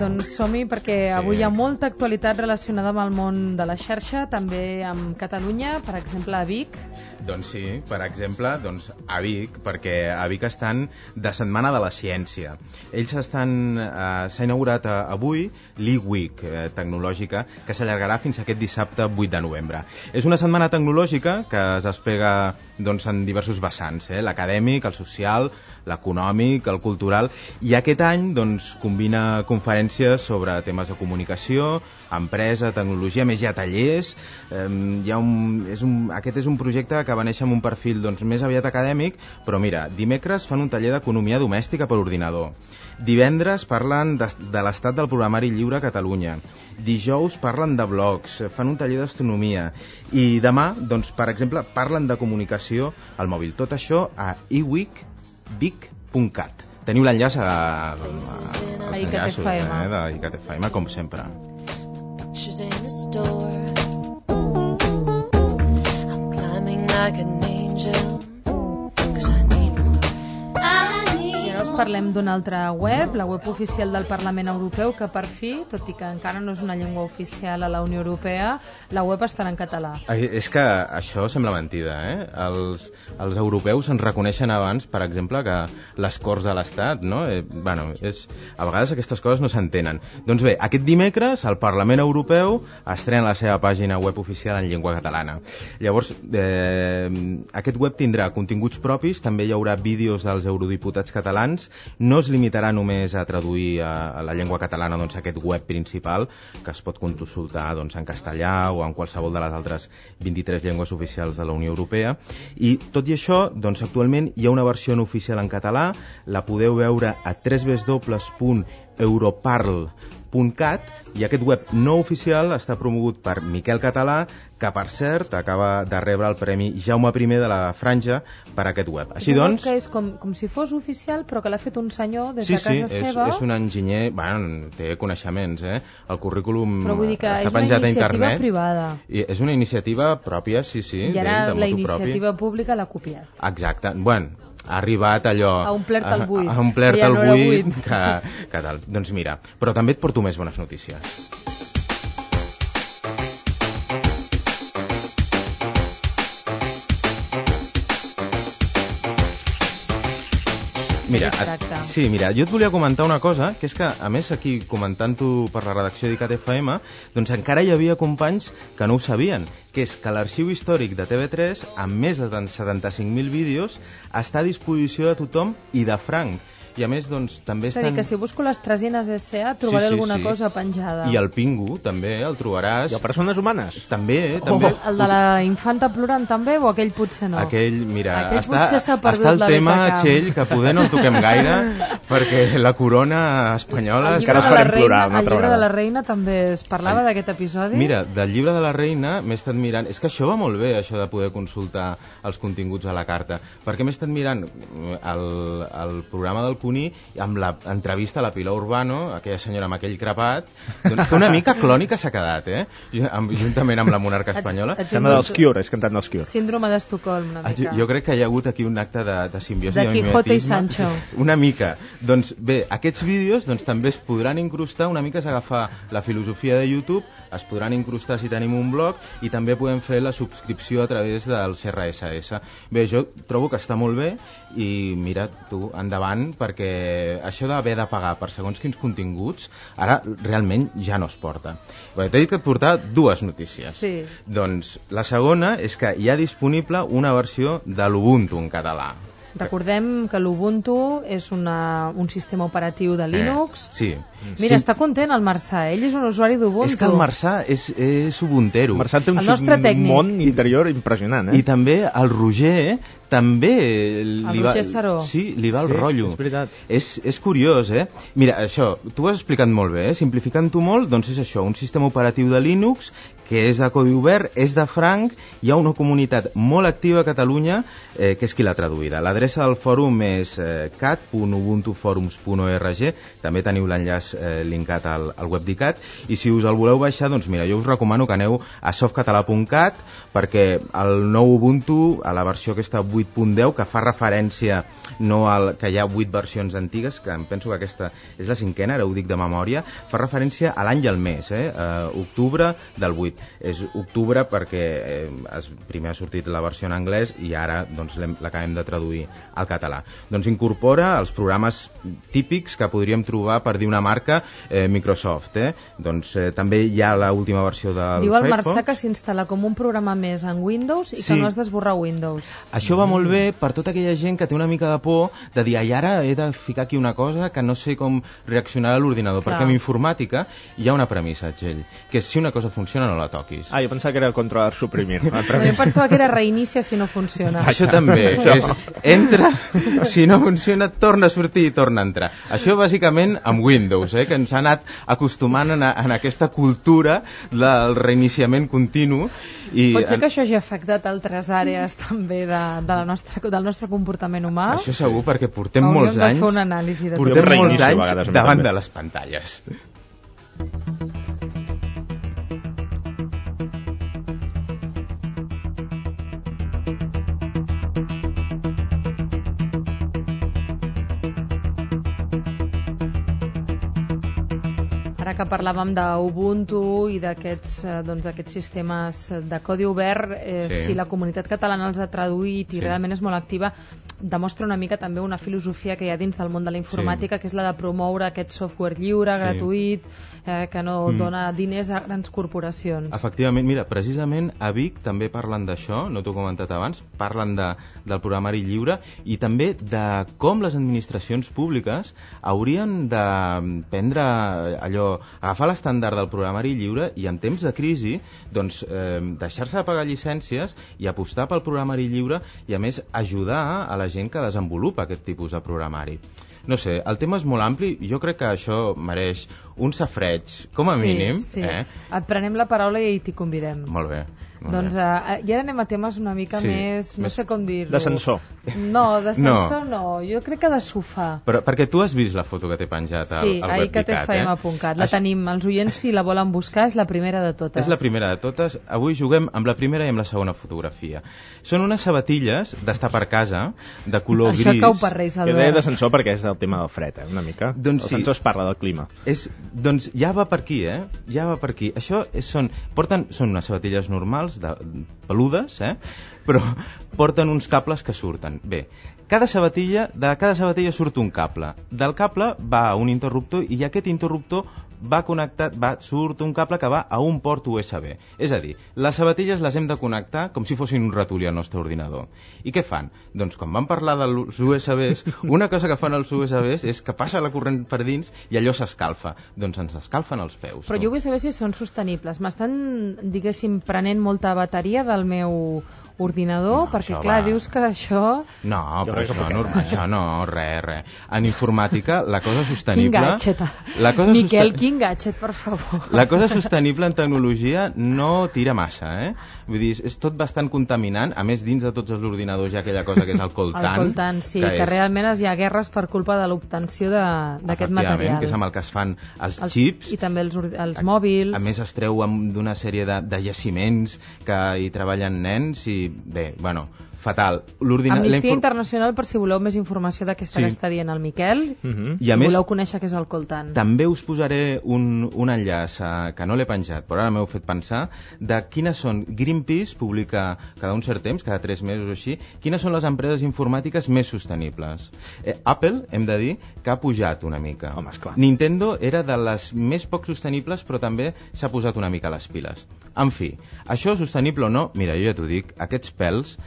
Doncs som-hi perquè avui hi ha molta actualitat relacionada amb el món de la xarxa, també amb Catalunya, per exemple a Vic. Doncs sí, per exemple, a Vic, perquè a Vic estan de Setmana de la Ciència. Ells s'ha inaugurat avui l'e-Week tecnològica, que s'allargarà fins aquest dissabte 8 de novembre. És una setmana tecnològica que es desplega en diversos vessants, l'acadèmic, el social, l'econòmic, el cultural, i aquest any combina conferències sobre temes de comunicació, empresa, tecnologia, més hi ha tallers. Aquest és un projecte que va néixer amb un perfil més aviat acadèmic, però mira, dimecres fan un taller d'economia domèstica per ordinador. Divendres parlen de l'estat del programari lliure a Catalunya. Dijous parlen de blogs, fan un taller d'astronomia. I demà, per exemple, parlen de comunicació al mòbil. Tot això a eweekvic.cat. Teniu l'enllaç a ICAT-FM, com sempre. I ara us parlem d'una altra web, la web oficial del Parlament Europeu, que per fi, tot i que encara no és una llengua oficial a la Unió Europea, la web estarà en català. És que això sembla mentida, Els europeus ens reconeixen abans, per exemple, que les Corts de l'Estat, no? A vegades aquestes coses no s'entenen. Doncs bé, aquest dimecres el Parlament Europeu estrena la seva pàgina web oficial en llengua catalana. Llavors, aquest web tindrà continguts propis, també hi haurà vídeos dels eurodiputats catalans, no es limitarà només a traduir a la llengua catalana aquest web principal, que es pot consultar en castellà o en qualsevol de les altres 23 llengües oficials de la Unió Europea. I tot i això, actualment hi ha una versió no oficial en català, la podeu veure a www.europarl.cat, i aquest web no oficial està promogut per Miquel Català, que per cert acaba de rebre el Premi Jaume I de la Franja per aquest web. Així doncs... que és com si fos oficial, però que l'ha fet un senyor des de casa seva. Sí, és un enginyer, té coneixements, el currículum està penjat a internet. És una iniciativa privada. I és una iniciativa pròpia, sí. I ara la iniciativa pública l'ha copiat. Exacte. Ha arribat allò... A omplert el buit. A omplert el buit, que tal. Doncs mira, però també et porto més bones notícies. Mira, jo et volia comentar una cosa, que és que, a més, aquí comentant-ho per la redacció d'ICAT-FM, encara hi havia companys que no ho sabien, que és que l'arxiu històric de TV3, amb més de 75.000 vídeos, està a disposició de tothom i de franc. I a més, també estan... És a dir, que si busco les Tresines S.A. trobaré alguna cosa penjada. I el Pingu, també, el trobaràs. I el Persones Humanes? També. El de la infanta plorant, també, o aquell potser no? Aquell, mira, potser s'ha perdut està el tema, Txell, que poder no el toquem gaire, perquè la corona espanyola... Encara es farem plorar una altra vegada. El llibre de la reina també es parlava d'aquest episodi? Mira, del llibre de la reina m'he estat mirant... És que això va molt bé, això de poder consultar els continguts a la carta, perquè m'he estat mirant el programa del Cuní, amb l'entrevista a la Pilar Urbano, aquella senyora amb aquell crepat, que una mica clònica s'ha quedat, juntament amb la monarca espanyola. Sembla dels Cure, és cantant dels Cure. Síndrome d'Estocolm, una mica. Jo crec que hi ha hagut aquí un acte de simbiosi. De Quijote i Sancho. Una mica. Doncs bé, aquests vídeos també es podran incrustar, una mica és agafar la filosofia de YouTube, es podran incrustar si tenim un blog, i també podem fer la subscripció a través del CRSS. Bé, jo trobo que està molt bé, i mira, tu, endavant, perquè això d'haver de pagar per segons quins continguts ara realment ja no es porta. T'he dit que et portava dues notícies. Sí. Doncs la segona és que hi ha disponible una versió de l'Ubuntu en català. Recordem que l'Ubuntu és un sistema operatiu de Linux. Sí. Mira, està content el Marçà, ell és un usuari d'Ubuntu. És que el Marçà és ubuntero. El Marçà té un món interior impressionant. I també el Roger també Roger Saró. Sí, li va el rotllo. És veritat. És curiós, Mira, això, tu ho has explicat molt bé, simplificant-ho molt, doncs és això, un sistema operatiu de Linux que és de codi obert, és de franc, hi ha una comunitat molt activa a Catalunya, que és qui l'ha traduïda. L'adreça L'adreça del fòrum és cat.ubuntuforums.org, també teniu l'enllaç linkat al web d'ICAT, i si us el voleu baixar, doncs mira, jo us recomano que aneu a softcatalà.cat, perquè el nou Ubuntu, a la versió aquesta 8.10, que fa referència no al que hi ha 8 versions antigues, que em penso que aquesta és la 5ª, ara ho dic de memòria, fa referència a l'any i al mes, octubre del 8. És octubre perquè primer ha sortit la versió en anglès i ara doncs, l'acabem de traduir al català. Doncs incorpora els programes típics que podríem trobar, per dir una marca, Microsoft. Doncs també hi ha l'última versió del Firefox. Diu el Marçà que s'instal·la com un programa més en Windows i que no has d'esborrar Windows. Això va molt bé per tota aquella gent que té una mica de por de dir, ai, ara he de ficar aquí una cosa que no sé com reaccionarà l'ordinador, perquè en informàtica hi ha una premissa, Txell, que si una cosa funciona no la toquis. Jo pensava que era controlar suprimir. Jo pensava que era reinicia si no funciona. Això també. Entra, si no funciona, torna a sortir i torna a entrar. Això bàsicament amb Windows, que ens ha anat acostumant en aquesta cultura del reiniciament continu. Pot ser que això hagi afectat altres àrees també del nostre comportament humà? Això segur, perquè portem molts anys davant de les pantalles. Ara que parlàvem d'Ubuntu i d'aquests sistemes de codi obert, si la comunitat catalana els ha traduït i realment és molt activa, demostra una mica també una filosofia que hi ha dins del món de la informàtica, que és la de promoure aquest software lliure, gratuït, que no dona diners a grans corporacions. Efectivament, mira, precisament a Vic també parlen d'això, no t'ho he comentat abans, parlen del programari lliure i també de com les administracions públiques haurien de prendre allò, agafar l'estàndard del programari lliure i en temps de crisi doncs, deixar-se de pagar llicències i apostar pel programari lliure i a més ajudar a la gent que desenvolupa aquest tipus de programari. No sé, el tema és molt ampli i jo crec que això mereix un safreig, com a mínim. Sí. Et prenem la paraula i t'hi convidem. Molt bé. Doncs i ara anem a temes una mica més, no sé com dir-ho. D'ascensor. No, d'ascensor no, jo crec que de sofà. Però perquè tu has vist la foto que t'he penjat al web d'ICAT, Sí, aicaTFM.cat. La tenim, els oients si la volen buscar, és la primera de totes. És la primera de totes. Avui juguem amb la primera i amb la segona fotografia. Són unes sabatilles d'estar per casa, de color gris. Això cau per Reis, Albert. Jo deia d'ascensor perquè és el tema del fred, una mica. Doncs l'ascensor es parla del clima. Doncs ja va per aquí, ja va per aquí. Això són unes sabatilles normals, peludes, però porten uns cables que surten. Bé, de cada sabatilla surt un cable. Del cable va a un interruptor i aquest interruptor surt un cable que va a un port USB. És a dir, les sabatilles les hem de connectar com si fossin un ratolí al nostre ordinador. I què fan? Doncs quan vam parlar dels USBs, una cosa que fan els USBs és que passa la corrent per dins i allò s'escalfa. Doncs ens escalfen els peus. Però jo vull saber si són sostenibles. M'estan, diguéssim, prenent molta bateria del meu ordinador, perquè clar, dius que això... No, però això no, res. En informàtica, la cosa sostenible... Quin gadget, Miquel, quin gadget, per favor. La cosa sostenible en tecnologia no tira massa, Vull dir, és tot bastant contaminant, a més dins de tots els ordinadors hi ha aquella cosa que és el coltan. El coltan, sí, que realment hi ha guerres per culpa de l'obtenció d'aquest material. Que és amb el que es fan els xips. I també els mòbils. A més es treu d'una sèrie de jaciments que hi treballen nens i bé, bueno, fatal. Amnistia Internacional, per si voleu més informació d'aquesta que està dient el Miquel, i a més, voleu conèixer què és el coltan. També us posaré un enllaç que no l'he penjat, però ara m'heu fet pensar de quines són. Greenpeace publica cada un cert temps, cada 3 mesos o així, quines són les empreses informàtiques més sostenibles. Apple, hem de dir, que ha pujat una mica. Home, esclar. Nintendo era de les més poc sostenibles, però també s'ha posat una mica les piles. En fi, això sostenible o no, mira, jo ja t'ho dic, aquests pèls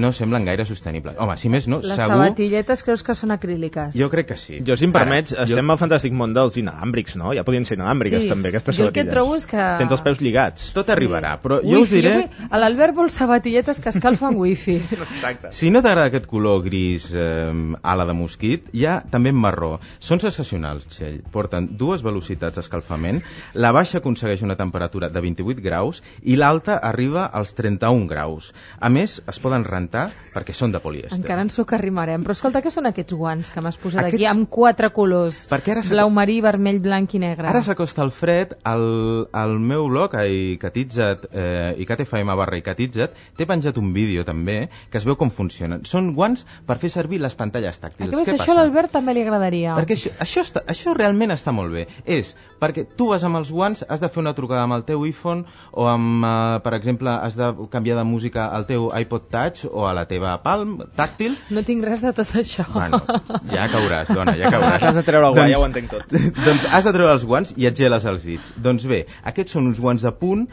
no semblen gaire sostenibles. Home, si més no, les segur... Les sabatilletes creus que són acríliques? Jo crec que sí. Jo, si em permets, estem al fantàstic món dels inalàmbrics, no? Ja podien ser inalàmbriques, també, aquestes sabatilles. Jo el que trobo és que... Tens els peus lligats. Tot arribarà, però jo us diré... L'Albert vol sabatilletes que escalfen wifi. Exacte. Si no t'agrada aquest color gris ala de mosquit, hi ha també en marró. Són sensacionals, Txell. Porten 2 velocitats d'escalfament, la baixa aconsegueix una temperatura de 28 graus i l'alta arriba als 31 graus. A més, es poden rentar perquè són de polièster. Encara ens ho arrimarem. Però escolta, què són aquests guants que m'has posat aquí amb 4 colors? Blau marí, vermell, blanc i negre. Ara s'acosta el fred, al meu blog, iCatitza't, iCatFM/iCatitza't, t'he penjat un vídeo també que es veu com funcionen. Són guants per fer servir les pantalles tàctils. Què passa? Això a l'Albert també li agradaria. Perquè això realment està molt bé. És perquè tu vas amb els guants, has de fer una trucada amb el teu iPhone o amb, per exemple, has de canviar de música al teu iPod Touch o a la teva Palm tàctil. No tinc res de tot això. Bueno, ja cauràs, dona, ja cauràs. Has de treure el guant, ja ho entenc tot. Doncs has de treure els guants i et geles els dits. Doncs bé, aquests són uns guants de punt,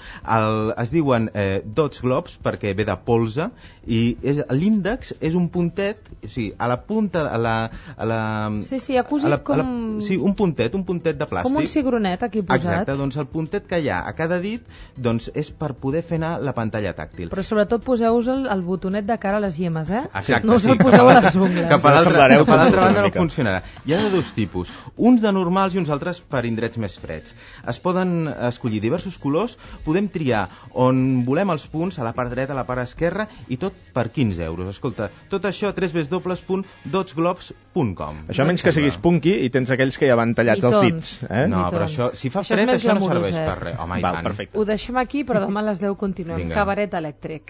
es diuen Dodge Gloves perquè ve de polze i l'índex és un puntet, o sigui, a la punta, Sí, ha cosit com... Sí, un puntet de plàstic. Com un cigronet aquí posat. Exacte, doncs el puntet que hi ha a cada dit doncs és per poder fer anar la pantalla tàctil. Però sobretot poseu-vos el botonet de cara a les llemes, eh? Exacte, no us el poseu a les ungles. Cap a l'altra banda no funcionarà. Hi ha de dos tipus, uns de normals i uns altres per indrets més freds. Es poden escollir diversos colors, podem triar on volem els punts, a la part dreta, a la part esquerra, i tot per 15 euros. Escolta, tot això a www.dodgeglobes.com. Això menys que siguis punky i tens aquells que ja van tallats els dits. No, però això, si fa fred, això no serveix per res. Home, i tant. Ho deixem aquí, però demà a les 10 continuem. Cabaret elèctric.